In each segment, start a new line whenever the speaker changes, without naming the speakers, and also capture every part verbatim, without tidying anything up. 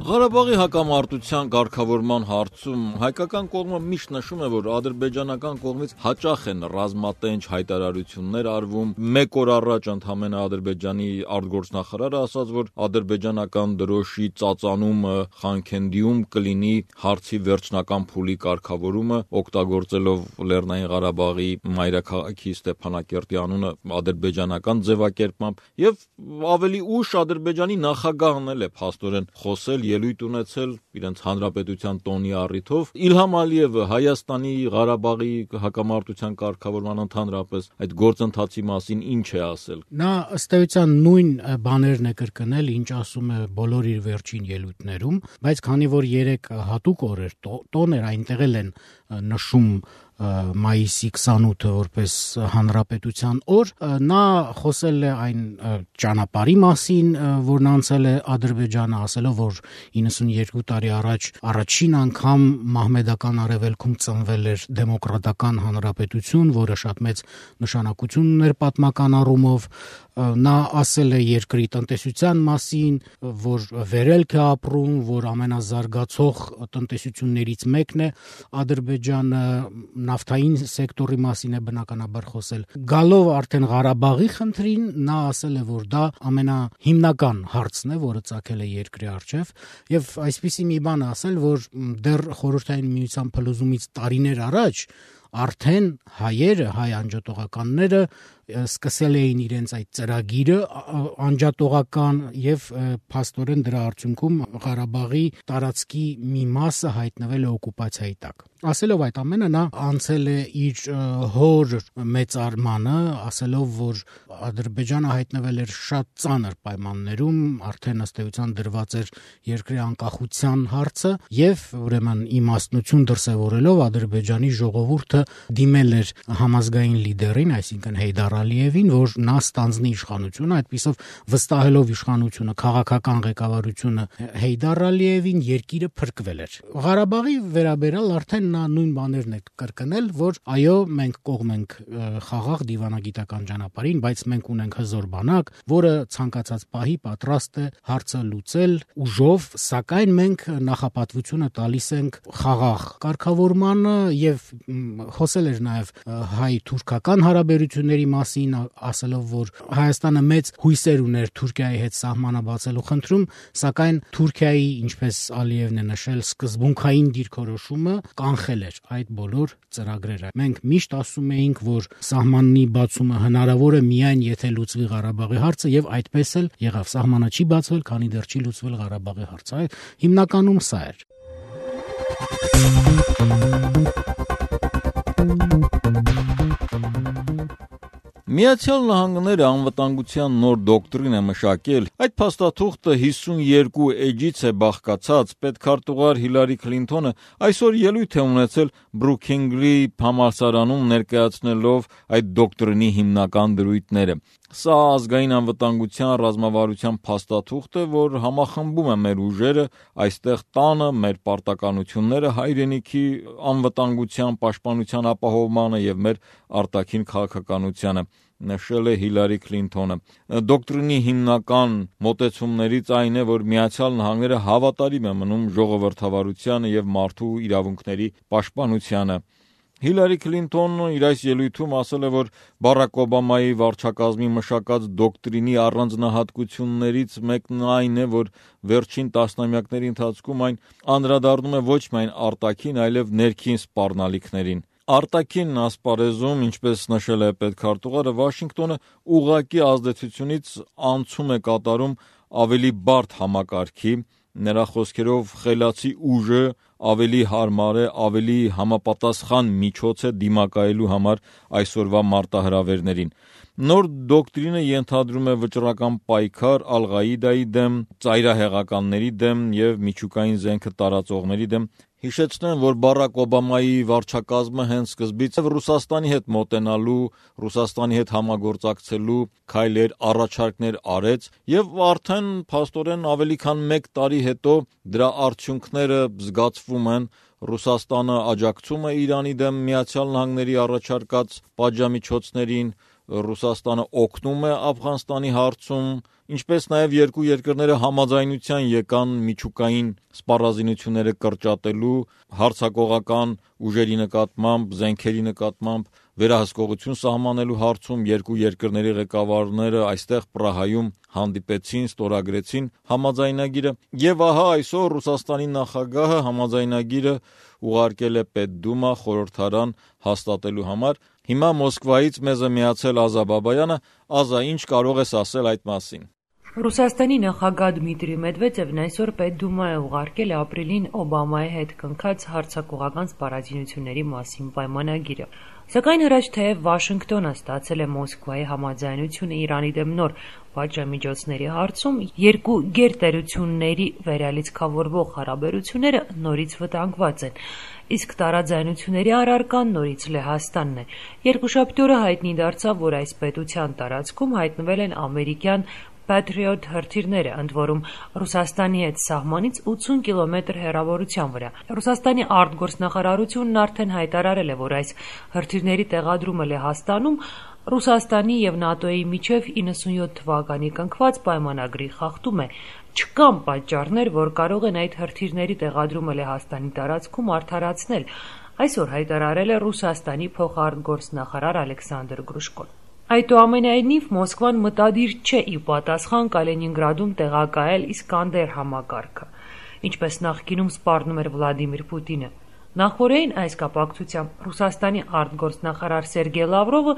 Ղարաբաղի հակամարտության կարգավորման հարցում հայկական կողմը միշտ նշում է, որ ադրբեջանական կողմից հաճախ են ռազմատենչ հայտարարություններ արվում։ Մեկ օր առաջ ընդամենը Ադրբեջանի արտգործնախարարը ասաց, որ ադրբեջանական դրոշի ծածանումը Խանքենդիում կլինի հարցի վերջնական փուլի կարգավորումը, օգտագործելով Լեռնային Ղարաբաղի մայրաքաղաքի Ստեփանակերտի անունը ադրբեջանական ձևակերպմամբ, եւ ավելի ուշ Ադրբեջանի նախագահն էլ է փաստորեն խոսել, ելույթ ունեցել իրենց հանրապետության տոնի առիթով։ Իլհամ Ալիևը Հայաստանի Ղարաբաղի հակամարտության կարգավորման ընդհանրապես այդ գործընթացի մասին ինչ է ասել։
Նա ըստ էության նույն բաներն է կրկնել, ինչ ասում է բոլոր իր վերջին ելույթներում, բայց քանի որ երեք հատուկ օրեր տոներ այնտեղ էլ են նշում մայիսի քսանութը որպես հանրապետության օր, նա խոսել է այն ճանապարհի մասին, որն անցել է Ադրբեջանը, ասելով, որ իննսունյոթ տարի առաջ առաջին անգամ մահմեդական արևելքում ծնվել էր դեմոկրատական հանրապետություն, որը շատ մեծ նշանակություն ուներ պատմական առումով։ Նա ասել է երկրի տնտեսության մասին, որ վերելք է ապրում, որ ամենազարգացող տնտեսություններից մեկն է Ադրբեջանը, նավթային սեկտորի մասին է բնականաբար խոսել։ Գալով արդեն Ղարաբաղի խնդրին, նա ասել է, որ դա ամենահիմնական հարցն է, որը ծագել է երկրի առջև, եւ այսպիսի մի բան ասել, որ դեռ Խորհրդային Միության փլուզումից տարիներ առաջ արդեն հայերը, հայ անջատողականները սկսել էին իրենց այդ ծրագիրը անջատողական եւ փաստորեն դրա արդյունքում Ղարաբաղի տարածքի մի մասը հայտնվել է օկուպացիայի տակ։ Ասելով այդ ամենը, նա անցել է իր հոր մեծարմանը, ասելով, որ Ադրբեջանը հայտնվել էր շատ ծանր պայմաններում, արդեն ըստ էության դրված էր երկրի անկախության հարցը եւ ուրեմն իմաստնություն դրսեւորելով Ադրբեջանի ժողովուրդը դիմել էր համազգային լիդերին, այսինքն Հեյդար Ալիևին, որ նա ստանձնի իշխանությունը, այդպիսով վստահելով իշխանությունը, քաղաքական ղեկավարությունը Հեյդար Ալիևին, երկիրը փրկվել էր։ Ղարաբաղի վերաբերյալ արդեն նա նույն բաներն է կրկնել, որ այո, մենք կողմ ենք խաղաղ դիվանագիտական ճանապարհին, բայց մենք ունենք հզոր բանակ, որը ցանկացած պահի պատրաստ է հարցը լուծել ուժով, սակայն մենք նախապատվությունը տալիս ենք խաղաղ կարգավորմանը եւ խոսել էր նաեւ հայ-թուրքական հարաբերությունների մասին, ասելով, որ Հայաստանը մեծ հույսեր ուներ Թուրքիայի հետ սահմանը բացելու խնդրում, սակայն Թուրքիայի, ինչպես Ալիևն է նշել, սկզբունքային դիրքորոշումը կանխել էր այդ բոլոր ծրագրերը։ Մենք միշտ ասում էինք, որ սահմանի բացումը հնարավոր է միայն եթե լուծվի Ղարաբաղի հարցը, եւ այդպես էլ եղավ։ Սահմանը չի բացվել, քանի դեռ չի լուծվել Ղարաբաղի հարցը։ Հիմնականում սա էր։
Միացյալ Նահանգները անվտանգության նոր դոկտրին է մշակել։ Այդ փաստաթուղթը հիսունյոթ էջից է բաղկացած։ Պետքարտուղար Հիլարի Քլինթոնը այսօր ելույթ է ունեցել Բրուքինգրի համալսարանում, ներկայացնելով այդ դոկտրինի հիմնական դրույթները։ Սա ազգային անվտանգության ռազմավարության փաստաթուղթ է, որ համախմբում է մեր ուժերը այստեղ տանը, մեր պարտականությունները հայրենիքի անվտանգության, պաշտպանության ապահովմանը եւ մեր արտաքին քաղաքականությանը, նշել է Հիլարի Քլինթոնը։ Դոկտրինի հիմնական մոտեցումներից այն է, որ Միացյալ Նահանգները հավատարիմ է մնում ժողովրդավարությանը եւ մարդու իրավունքների պաշտպանությանը։ Հիլարի Քլինթոնը իր այս ելույթում ասել է, որ Բարակ Օբամայի վարչակազմի մշակած դոկտրինի առանձնահատկություններից մեկն այն է, որ վերջին տասնամյակների ընթացքում այն անդրադառնում է ոչ միայն արտաքին, այլև ներքին սպառնալիքներին։ Արտաքին ասպարեզում, ինչպես նշել է պետքարտուղարը, Վաշինգտոնը ուղղակի ազդեցությունից անցում է կատարում ավելի բարդ համակարգի, նրա խոսքերով խելացի ուժը ավելի հարմար է, ավելի համապատասխան միջոց է դիմակայելու համար այսօրվա մարտահրավերներին։ Նոր դոկտրինը ենթադրում է վճռական պայքար Ալ-Ղաիդայի դեմ, ծայրահեղականների դեմ եւ միջուկային զենքը տարածողների դեմ։ Հիշեցնեմ, որ Բարակ Օբամայի վարչակազմը հենց սկզբից Ռուսաստանի հետ մոտենալու, Ռուսաստանի հետ համագործակցելու քայլեր, առաջարկներ արեց եւ արդեն փաստորեն ավելի քան մեկ տարի հետո դրա արդյունքները զգացվում են։ Ռուսաստանը աջակցում է Իրանի դեմ Միացյալ Նահանգների առաջարկած պատժամիջոցներին, Ռուսաստանը օգնում է Աֆղանստանի հարցում, ինչպես նաև երկու երկրները համաձայնության եկան միջուկային սպառազինությունները կրճատելու, հարձակողական ուժերի նկատմամբ, զենքերի նկատմամբ վերահսկողություն սահմանելու հարցում երկու երկրների ղեկավարները այստեղ Պրահայում հանդիպեցին, ստորագրեցին համաձայնագիրը, եւ ահա այսօր Ռուսաստանի նախագահը համաձայնագիրը ուղարկել է Պետդումա խորհրդարան հաստատելու համար։ Հիմա Մոսկվայից մեզ է միացել Ազա Բաբայանը։ Ազա, ինչ կարող ես ասել այդ մասին։
Ռուսաստանի նախագահ Դմիտրի Մեդվեդևն այսօր Պետդումա է ուղարկել ապրիլին Օբամայի հետ կնքած հարձակողական սպառազինությունների մասին պայմանագիրը։ Սակայն հրաչ թեև Վաշինգտոնը ստացել է Մոսկվայի համաձայնությունը Իրանի դեմ նոր պատժամիջոցների հարցում, երկու գերտերությունների վերալիցքավորվող հարաբերությունները նորից վտանգված են, իսկ տարաձայնությունների առարկան նորից Լեհաստանն է։ Երկուշաբթի օրը հայտնի դարձավ, որ այս պետության տարածքում հայտնվել են ամերիկյան Patriot հրթիռները, ընդ որում Ռուսաստանի հետ սահմանից ութսուն կիլոմետր հեռավորության վրա։ Ռուսաստանի արտգործնախարարությունն արդեն հայտարարել է, որ այս հրթիռների տեղադրումը Լեհաստանում Ռուսաստանի եւ ՆԱՏՕ-ի միջև իննսունյոթ թվականի կնքված պայմանագրի խախտում է։ Չկան պատճառներ, որ կարող են այդ հրթիռների տեղադրումը Լեհաստանի տարածքում արդարացնել, այսօր հայտարարել է Ռուսաստանի փոխարտգործնախարար Ալեքսանդր Գրուշկոն։ Այդուամենայնիվ Մոսկվան մտադիր չէ ի պատասխան Կալինինգրադում տեղակայել Իսկանդեր համակարգը, ինչպես նախկինում սպառնում էր Վլադիմիր Պուտինը։ Նախորդին այս կապակցությամբ Ռուսաստանի արտգործնախարար Սերգեյ Լավրովը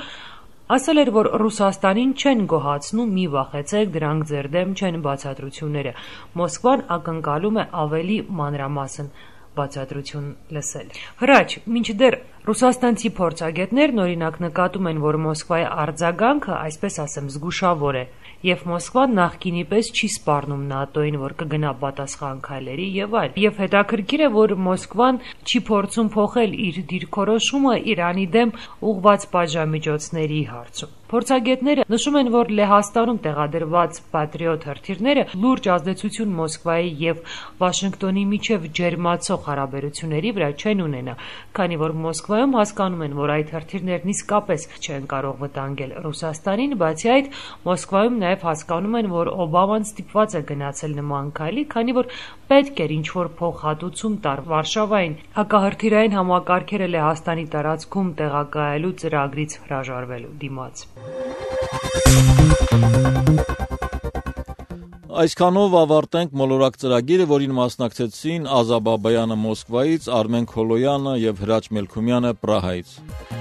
ասել էր, որ Ռուսաստանին չեն գոհացնում, մի վախեցեք, դրանք ձեր դեմ չեն բացատրությունները։ Մոսկվան ակնկալում է ավելի մանրամասն բացատրություն լսել։ Հրաչ, մինչդեռ ռուսաստանցի փորձագետներն օրինակ նկատում են, որ Մոսկվայի արձագանքը, այսպես ասեմ, զգուշավոր է, եւ Մոսկվան նախկինի պես չի սպառնում ՆԱՏՕ-ին, որ կգնա պատասխան քայլերի եւ այլ։ Եվ հետաքրքիր է, որ Մոսկվան չի փորձում փոխել իր դիրքորոշումը Իրանի դեմ ուղղված պատժամիջոցների հարցում։ Փորձագետները նշում են, որ Լեհաստանում տեղադրված Patriot հրթիռները լուրջ ազդեցություն Մոսկվայի եւ Վաշինգտոնի միջև ջերմացող հարաբերությունների վրա չեն ունենա, քանի որ Մոսկվայում հասկանում են, որ այդ հրթիռներն իսկապես չեն կարող վտանգել Ռուսաստանին, բացի այդ Մոսկվայում նաեւ հասկանում են, որ Օբաման ստիպված է գնացել նման քայլի, քանի որ պետք էր ինչ-որ փոխհատուցում տար Վարշավային հակահրթիռային համակարգերը Լեհաստանի տարածքում տեղակայելու ծրագրից հրաժարվելու դիմաց։
Այսքանով ավարտենք մոլորակ ծրագիրը, որին մասնակցեցին Ազա Բաբայանը Մոսկվայից, Արմեն Քոլոյանը եւ Հրաչ Մելքումյանը Պրահայից։